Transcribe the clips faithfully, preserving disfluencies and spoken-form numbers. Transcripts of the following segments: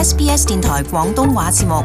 S B S 電台廣東話節目。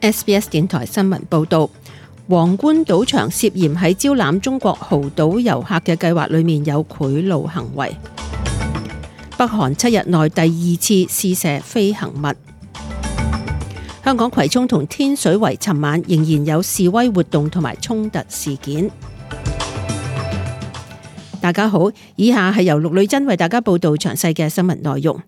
S B S 電台新聞報道，皇冠賭場涉嫌喺招攬中國豪賭遊客嘅計劃裏面有賄賂行為。北韓七日內第二次試射飛行物。香港葵涌同天水圍尋晚仍然有示威活動同埋衝突事件。大家好，以下係由陸女真為大家報道詳細嘅新聞內容。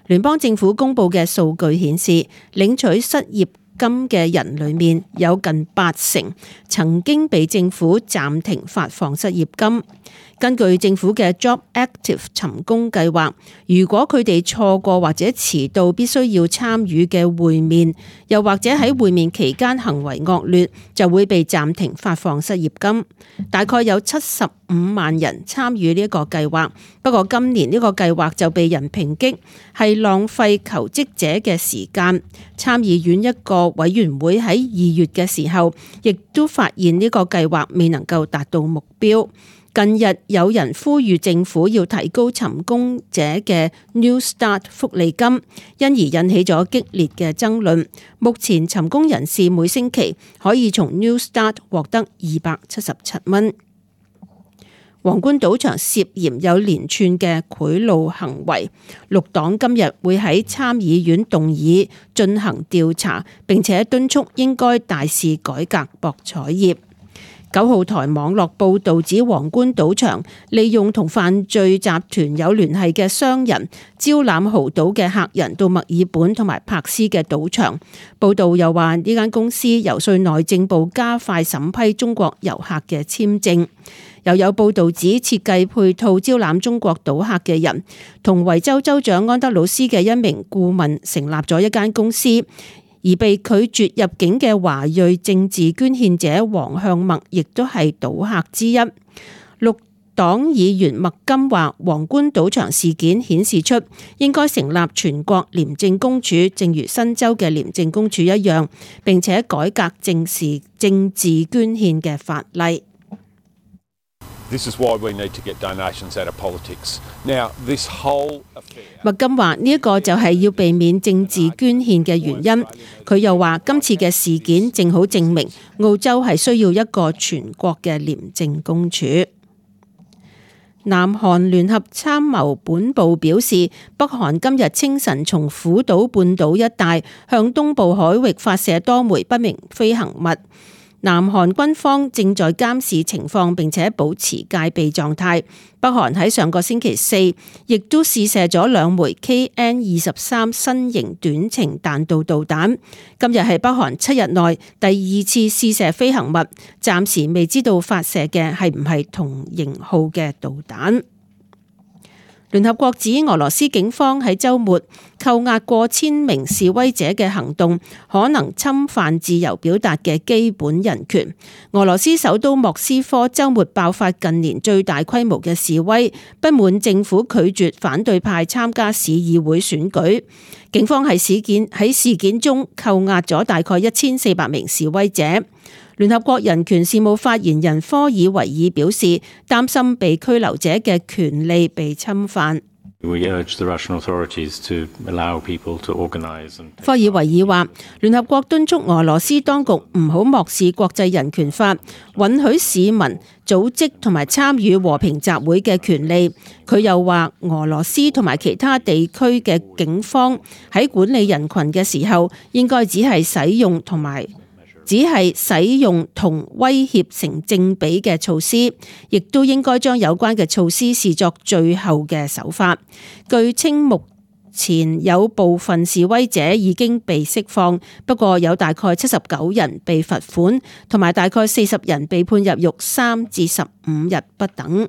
聯邦政府公布嘅數據顯示，領取失業金嘅人裏面有近八成曾經被政府暫停發放失業金。根據政府嘅 Job Active 尋工計劃，如果佢哋錯過或者遲到必須要參與嘅會面，又或者喺會面期間行為惡劣，就會被暫停發放失業金。大概有七十五萬人參與呢一個計劃，不過今年呢個計劃就被人抨擊係浪費求職者嘅時間。參議院一個委員會喺二月嘅時候，亦都發現呢個計劃未能夠達到目標。近日有人呼籲政府要提高尋工者嘅 New Start 福利金，因而引起咗激烈嘅爭論。目前尋工人士每星期可以從 New Start 獲得二百七十七蚊。皇冠賭場涉嫌有連串嘅賄賂行為，綠黨今日會喺參議院動議進行調查，並且敦促應該大肆改革博彩業。九號台網絡報導指，皇冠賭場利用同犯罪集團有聯繫嘅商人招攬豪賭嘅客人到墨爾本同埋柏斯嘅賭場。報導又話呢間公司遊說內政部加快審批中國遊客嘅簽證。又有報導指，設計配套招攬中國賭客嘅人同維州州長安德魯斯嘅一名顧問成立咗一間公司。而被拒絕入境嘅華裔政治捐獻者黃向墨亦都係賭客之一。綠黨議員麥金話，皇冠賭場事件顯示出應該成立全國廉政公署，正如新州嘅廉政公署一樣，並且改革政治政治捐獻嘅法例。This is why we need to get donations out of politics. Now, this whole affair... 麥金話呢一個就係要避免政治捐獻嘅原因。佢又話今次嘅事件正好證明澳洲係需要一個全國嘅廉政公署。南韓聯合參謀本部表示，北韓今日清晨從虎島半島一帶向東部海域發射多枚不明飛行物。南韓軍方正在監視情況，並且保持戒備狀態。北韓喺上個星期四亦都試射咗兩枚 K N 二十三新型短程彈道導彈。今日係北韓七日內第二次試射飛行物，暫時未知道發射嘅係唔係同型號嘅導彈。聯合國指俄羅斯警方喺週末扣押過千名示威者嘅行動，可能侵犯自由表達嘅基本人權。俄羅斯首都莫斯科週末爆發近年最大規模嘅示威，不滿政府拒絕反對派參加市議會選舉。警方喺事件喺事件中扣押咗大概一千四百名示威者。聯合國人權事務發言人科爾維爾表示，擔心被拘留者嘅權利被侵犯。科爾維爾話，聯合國敦促俄羅斯當局唔好漠視國際人權法，允許市民組織同埋參與和平集會嘅權利。佢又話，俄羅斯同埋其他地區嘅警方喺管理人群嘅時候，應該只係使用同埋只係使用同威脅成正比嘅措施，亦都應該將有關嘅措施視作最後嘅手法。據稱，目前有部分示威者已經被釋放，不過有大概七十九人被罰款，同埋大概四十人被判入獄三至十五日不等。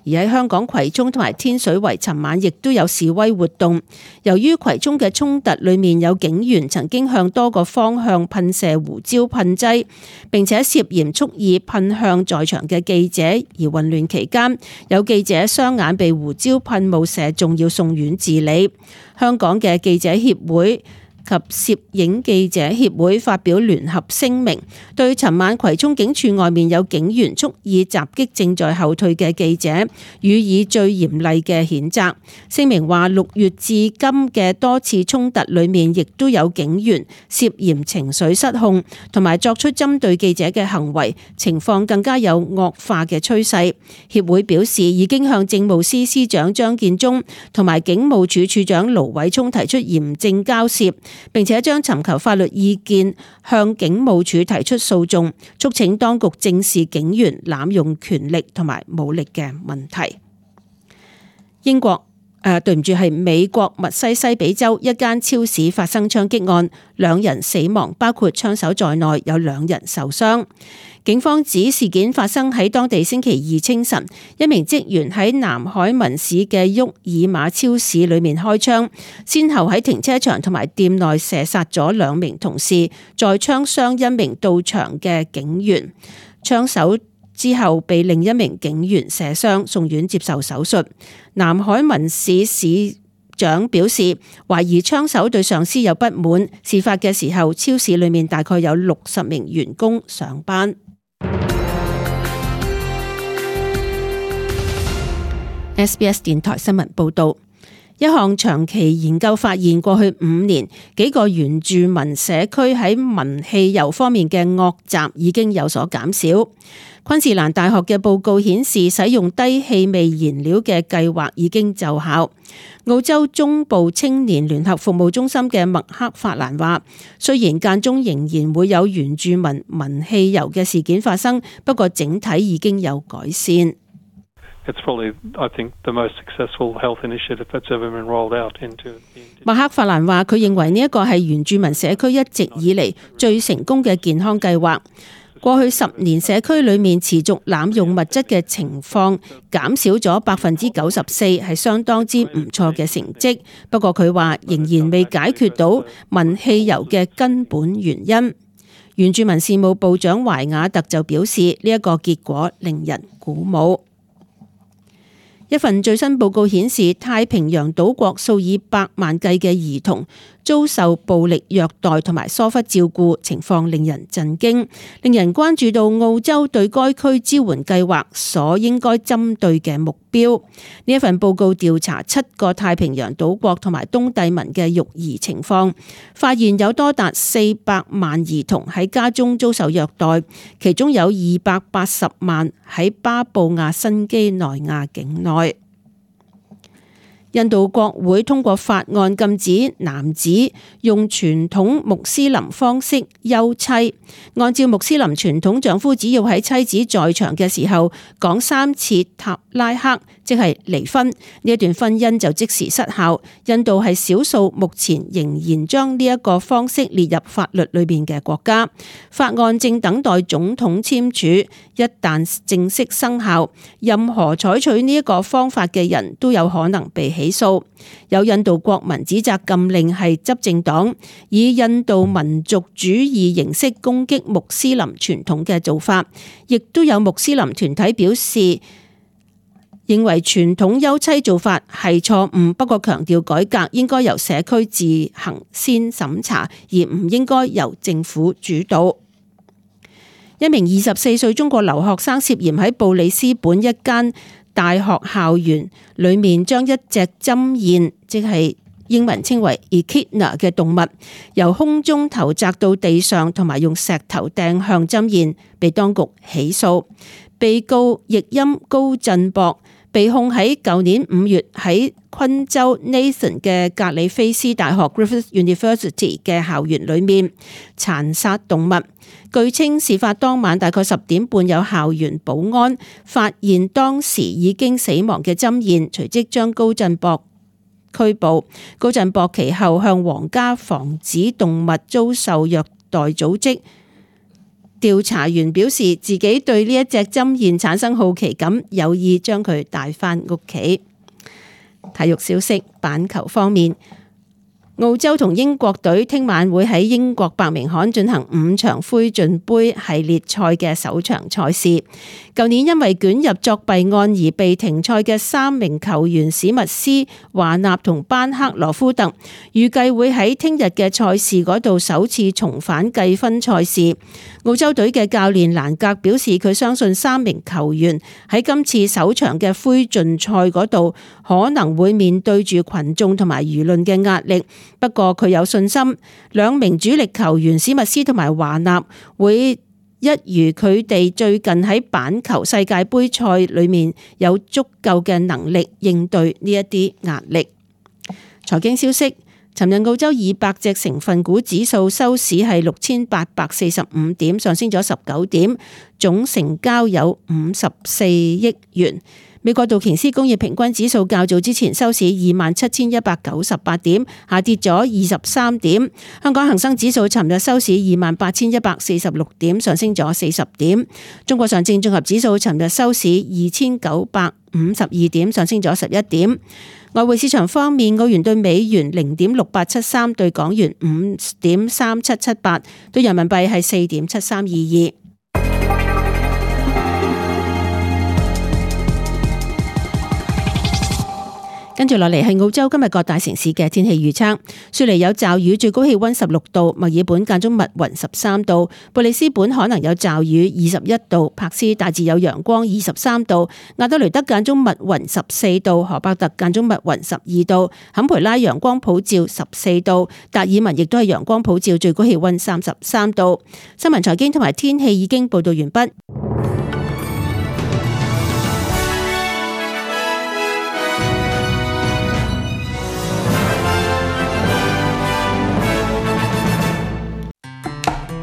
而喺香港葵涌同埋天水圍，尋晚亦都有示威活動。由於葵涌嘅衝突裏面有警員曾經向多個方向噴射胡椒噴劑，並且涉嫌蓄意噴向在場嘅記者，而混亂期間有記者雙眼被胡椒噴霧射中，要送院治理。香港嘅記者協會及攝影記者協會發表聯合聲明，對尋晚葵涌警署外面有警員蓄意襲擊正在後退嘅記者，予以最嚴厲嘅譴責。聲明話，六月至今嘅多次衝突裏面，亦都有警員涉嫌情緒失控，同埋作出針對記者嘅行為，情況更加有惡化嘅趨勢。協會表示，已經向政務司司長張建宗同埋警務處處長盧偉聰提出嚴正交涉，並且將尋求法律意見向警務處提出訴訟，促請當局正視警員濫用權力同埋武力嘅問題。英國誒、呃，對唔住，係美國密西西比州一間超市發生槍擊案，兩人死亡，包括槍手在內，有兩人受傷。警方指事件發生喺當地星期二清晨，一名職員喺南海文市嘅沃爾瑪超市裏面開槍，先後喺停車場同埋店內射殺咗兩名同事，再槍傷一名到場嘅警員。槍手之後被另一名警員射傷，送院接受手術。南海文市市長表示，懷疑槍手對上司有不滿。事發嘅時候，超市裏面大概有六十名員工上班。S B S 電台新聞報道，一項長期研究發現，過去五年幾個原住民社區喺聞汽油方面嘅惡習已經有所減少。昆士蘭大學嘅報告顯示，使用低氣味燃料嘅計劃已經奏效。澳洲中部青年聯合服務中心嘅麥克法蘭話，雖然間中仍然會有原住民聞汽油嘅事件發生，不過整體已經有改善。It's probably, I think, the most successful health initiative that's ever been rolled out into. 麥克法蘭話，佢認為呢一個係原住民社區一直以嚟最成功嘅健康計劃。過去十年，社區裏面持續濫用物質嘅情況減少咗百分之九十四，係相當之唔錯嘅成績。不過佢話仍然未解決到聞汽油嘅根本原因。原住民事務部長懷亞特就表示，呢一個結果令人鼓舞。一份最新報告顯示，太平洋島國數以百萬計嘅兒童遭受暴力虐待同埋疏忽照顧，情況令人震驚，令人關注到澳洲對該區支援計劃所應該針對嘅目標。呢一份報告調查七個太平洋島國同埋東帝汶嘅育兒情況，發現有多達四百萬兒童喺家中遭受虐待，其中有二百八十萬喺巴布亞新畿內亞境內。印度國會通過法案禁止男子用傳統穆斯林方式休妻。按照穆斯林傳統，丈夫只要喺妻子在場嘅時候講三次塔拉克，即係離婚，呢一段婚姻就即時失效。印度係少數目前仍然將呢一個方式列入法律裏邊嘅國家。法案正等待總統簽署，一旦正式生效，任何採取呢一個方法嘅人都有可能被起訴。有印度國民指責禁令係執政黨以印度民族主義形式攻擊穆斯林傳統嘅做法，亦都有穆斯林團體表示認為傳統休妻做法係錯誤，不過強調改革應該由社區自行先審查，而唔應該由政府主導。一名二十四歲中國留學生涉嫌喺布里斯本一間大學校園裏面將一隻針燕，即係英文稱為 echidna 嘅動物，由空中投擲到地上，同埋用石頭掟向針燕，被當局起訴。被告譯音高振博被控喺舊年五月喺昆州 Nathan 嘅格里菲斯大學 Griffith University 嘅校園裏面殘殺動物。據稱事發當晚大概十點半，有校園保安發現當時已經死亡嘅針燕，隨即將高振博拘捕。高振博其後向皇家防止動物遭受虐待組織調查員表示，自己對呢一隻針燕產生好奇感，有意將佢帶返屋企。體育消息，板球方面，澳洲同英國隊聽晚會喺英國伯明翰進行五場灰燼杯系列賽嘅首場賽事。舊年因為捲入作弊案而被停賽嘅三名球員史密斯、華納同班克羅夫特，預計會喺聽日嘅賽事嗰度首次重返計分賽事。澳洲隊嘅教練蘭格表示，佢相信三名球員喺今次首場嘅灰燼賽嗰度可能會面對住群眾同埋輿論嘅壓力。不過佢有信心，兩名主力球員史密斯同埋華納會一如佢哋最近喺板球世界盃賽裏面有足夠嘅能力應對呢一啲壓力。財經消息，尋日澳洲二百隻成分股指數收市係六千八百四十五點，上升咗十九點，總成交有五十四億元。美國道瓊斯工業平均指數較早之前收市二萬七千一百九十八點，下跌咗二十三點。香港恒生指數尋日收市二萬八千一百四十六點，上升咗四十點。中國上證綜合指數尋日收市二千九百五十二點，上升咗十一點。外匯市場方面，澳元對美元零點六八七三，對港元五點三七七八，對人民幣係四點七三二二。跟住落嚟係澳洲今日各大城市嘅天氣預測。雪梨有驟雨，最高氣溫十六度；墨爾本間中密雲十三度；布里斯本可能有驟雨二十一度；柏斯大致有陽光二十三度；亞德雷德間中密雲十四度；荷伯特間中密雲十二度；坎培拉陽光普照十四度；達爾文亦都係陽光普照，最高氣溫三十三度。新聞財經同埋天氣已經報道完畢。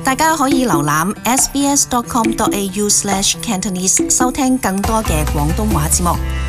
大家可以瀏覽 s b s dot com dot a u slash cantonese 收聽更多嘅廣東話節目。